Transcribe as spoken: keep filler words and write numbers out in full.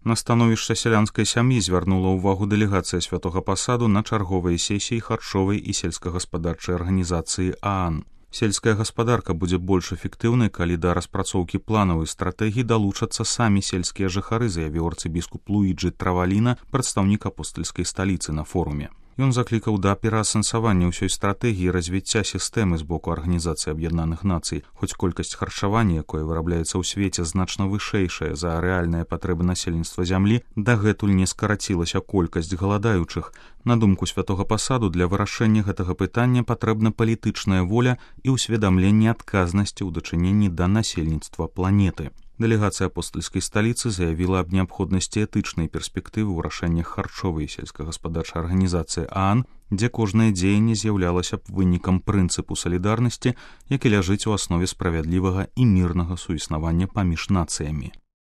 На становішча сялянскай сям'і звярнула ўвагу дэлегацыя святога пасаду на чарговыя сесіі харчовай і сельскагаспадарчай арганізацыі ААН. Сельская гаспадарка будзе больш эфектыўнай, калі да распрацоўкі планавай стратэгіі далучацца самі сельскія жыхары, заявіў арцыбіскуп Луіджы Траваліна, прадстаўнік апостальскай сталіцы на форуме. Ён заклікаў да пераасэнсавання ўсёй стратэгіі развіцця сістэмы з боку Арганізацыі Аб'яднаных Нацый, хоць колькасць харчавання, якое вырабляецца ў свеце, значна вышэйшая за рэальныя патрэбы насельніцтва зямлі, дагэтуль не скарацілася колькасць галадаючых. На думку святога пасаду, для вырашэння гэтага пытання патрэбна палітычная воля і ўсведамленне адказнасці ў дачыненні да насельніцтва планеты. Дэлегацыя апостальскай сталіцы заявіла аб неабходнасці этычнай перспектывы ў рашэннях харчовай і сельскагаспадарчай арганізацыі ААН, дзе кожнае дзеянне з'яўлялася б вынікам прынцыпу салідарнасці, які ляжыць у аснове справядлівага і мірнага суіснавання паміж нацыямі.